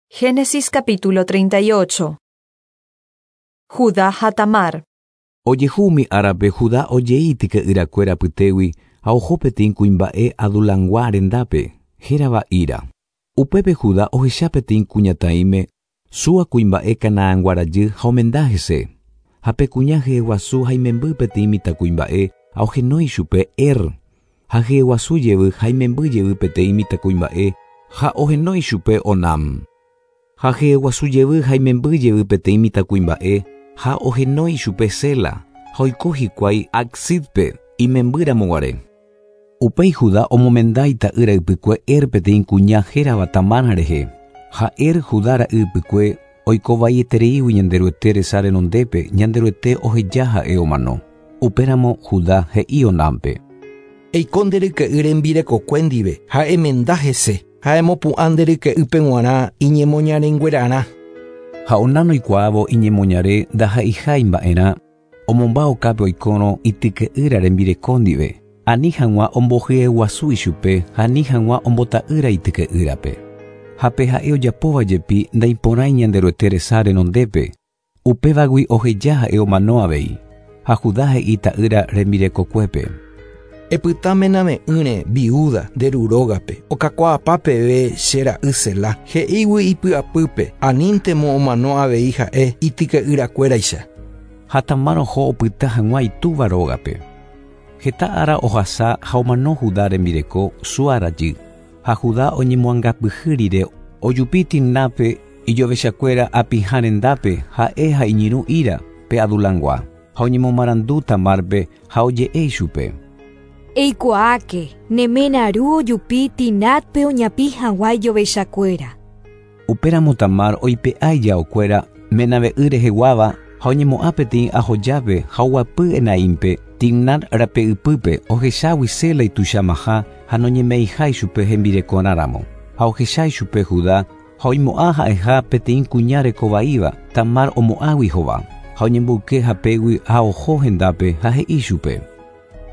Génesis capítulo 38. Judá ha Tamar. Ojehu umi árape Judá ojei ityke'yrakuéra apytégui ha oho peteĩ kuimba'e Adulangua rendápe, hérava Hira. Upépe Judá ohecha peteĩ kuñataĩme, Súa kuimba'e Canaangua rajy ha omenda hese. Ha pe kuña hyeguasu ha imemby peteĩ mitãkuimba'e ha ohenói chupe Er. Ha hyeguasu jevy ha imemby jevy peteĩ mitãkuimba'e ha ohenói chupe Onam. Ha hyeguasu jevy ha imemby jevy peteĩ mitãkuimba'e ha ohenói chupe Sela, ha oiko hikuái Aczíbpe imemby ramoguare. Upéi Judá omomenda ita'ýra ypykue Er peteĩ kuña hérava Tamar rehe. Ha Er, Judá ra'y ypykue, oiko vaietereígui Ñanderuete resa renondépe, Ñanderuete oheja ha'e omano. Upéramo Judá he'i Onánpe. Eiko nde ryke'y rembirekokue ndive ha emenda hese, ha emopu'ã nde ryke'ýpe g̃uarã iñemoñarenguerarã. Ha Onán oikuaávo iñemoñare ndaha'eiha imba'erã, omomba okápe oikórõ ityke'ýra rembireko ndive, ani hag̃ua ombohyeguasu ichupe ha ani hag̃ua ombota'ýra ityke'ýrape. Ha pe ha'e ojapóva jepi ndaiporãi Ñanderuete resa renondépe, upévagui oheja ha'e omano avei. Ha Judá he'i ta'ýra rembirekokuépe. Epyta menave'ỹre, viúda, nde ru rógape, okakuaapa peve che ra'y Selá, he'ígui ipy'apýpe, aníntemo omano avei ha'e ityke'yrakuéraicha. Ha Tamar oho opyta hag̃ua itúva rógape. Heta ára ohasa ha omano Judá rembireko, Súa rajy. Ha Judá oñemoangapyhy rire, ojupi Timnápe ijovechakuéra apĩha rendápe, ha'e ha iñirũ Hira, pe Adulangua. Ha oñemomarandu Tamárpe ha oje'e ichupe. Eikuaáke, ne ména ru ojupi Timnátpe oñapĩ hag̃ua ijovechakuéra. Upéramo Tamar oipe'a ijaokuéra menave'ỹ reheguáva ha oñemo'ã peteĩ ahojápe ha oguapy Enaímpe, Timnat rape ypýpe, ohechágui Sela ituichamaha ha noñeme'ẽiha ichupe hembirekorã ramo. Ha ohecha ichupe Judá ha oimo'ã ha'eha peteĩ kuña reko vaíva, Tamar omo'ãgui hova. Ha oñemboyke hapégui ha oho hendápe ha he'i chupe.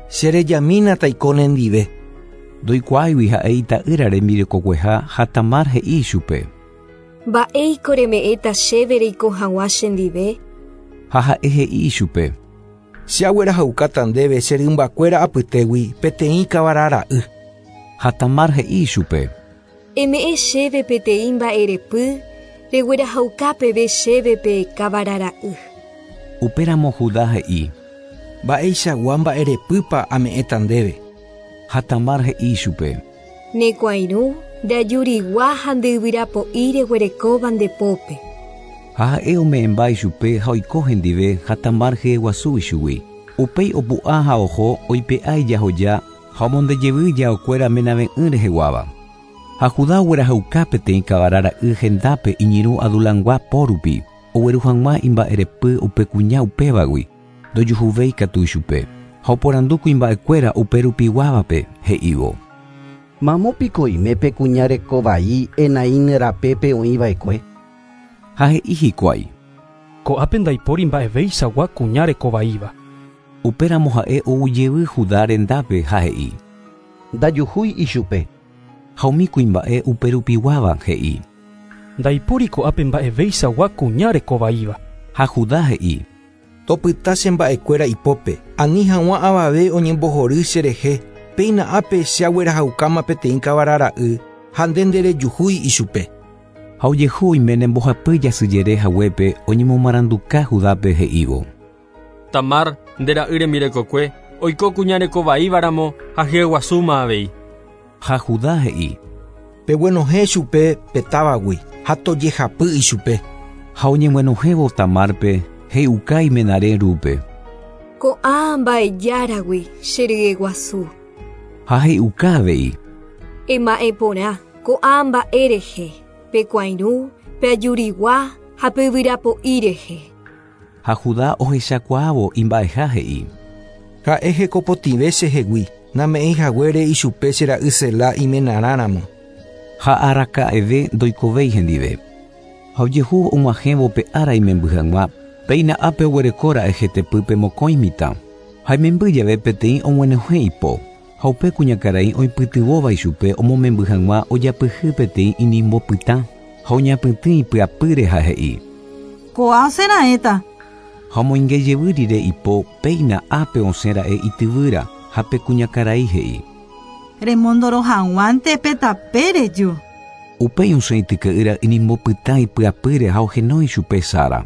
Che rejamína taiko nendive. Ndoikuaáigui ha'e ita'ýra rembirekokueha ha Tamar he'i ichupe. Mba'éiko reme'ẽta chéve reiko hag̃ua chendive? Ha ha'e he'i ichupe. Che aguerahaukáta ndéve che rymbakuéra apytégui peteĩ kavara ra'y. Ha Tamar he'i ichupe. Eme'ẽ chéve peteĩ mba'erepy reguerahauka peve chéve pe kavara ra'y. Upéramo Judá he'i. Mba'eichagua mba'erepýpa ame'ẽta ndéve? Ha Tamar he'i ichupe. Ne kuãirũ, nde ajurigua ha nde yvyrapo'i reguerekóva nde pópe. Ha ha'e ome'ẽmba ichupe ha oiko hendive ha Tamar hyeguasu ichugui. Upéi opu'ã ha oho oipe'a ijahoja ha omonde jevy ijaokuéra menave'ỹ reheguáva. Ha Judá oguerahauka peteĩ kavara ra'y hendápe iñirũ Adulangua po rupi, ogueru hag̃ua imba'erepy upe kuña upévagui, ndojuhuvéi katu ichupe. Ha oporandu kuimba'ekuéra upe rupiguávape, he'ívo. Mamo piko oime pe kuña reko vai Enaín rapépe oĩ va'ekue? Ha he'i hikuái. Ko'ápe ndaipóri mba'eveichagua kuña reko vaíva. Upéramo ha'e ou jevy Judá rendápe ha he'i. Ndajuhúi ichupe. Ha umi kuimba'e uperupiguáva he'i. Ndaipóri ko'ápe mba'eveichagua kuña reko vaíva. Ha Judá he'i. Topyta che mba'ekuéra ipópe, ani hag̃ua avave oñembohory che rehe, péina ápe che aguerahaukáma peteĩ kavara ra'y, ha nde nderejuhúi ichupe. Ha ojehu oiméne mbohapy jasyjere haguépe oñemomaranduka Judápe he'ívo. Tamar, nde ra'y rembirekokue, oiko kuña reko vaíva ramo ha hyeguasúma avei. Ha Judá he'i. Peguenohẽ chupe pe távagui ha tojehapy ichupe. Ha oñeguenohẽvo Tamárpe, he'iuka imenare rúpe. Ko'ã mba'ejáragui che ryeguasu. Ha he'iuka avei. Ema'ẽ porã ko'ã mba'e rehe, pe kuãirũ, pe ajurigua ha pe yvyrapo'i rehe. Ha Judá ohechakuaávo imba'eha he'i. Ha'e hekopotĩve chehegui, name'ẽi haguére ichupe che ra'y Selá imenarã ramo. Ha araka'eve ndoikovéi hendive. Ha ojehu og̃uahẽvo pe ára imemby hag̃ua, péina ápe oguereko ra'e hetepýpe mokõi mitã. Ha imemby jave peteĩ og̃uenohẽ ipo, ha upe kuñakarai oipytyvõva ichupe omomemby hag̃ua ojapyhy peteĩ inimbo pytã. Ha oñapytĩ ipyapýre ha he'i. Kóa osẽraẽta. Ha omoinge jevy rire ipo, péina ápe osẽ ra'e ityvýra, ha pe kuñakarai he'i. Remondoro hag̃uánte pe tape reju. Upéi osẽ ityke'ýra inimbo pytã ipyapýre ha ohenói chupe Sara.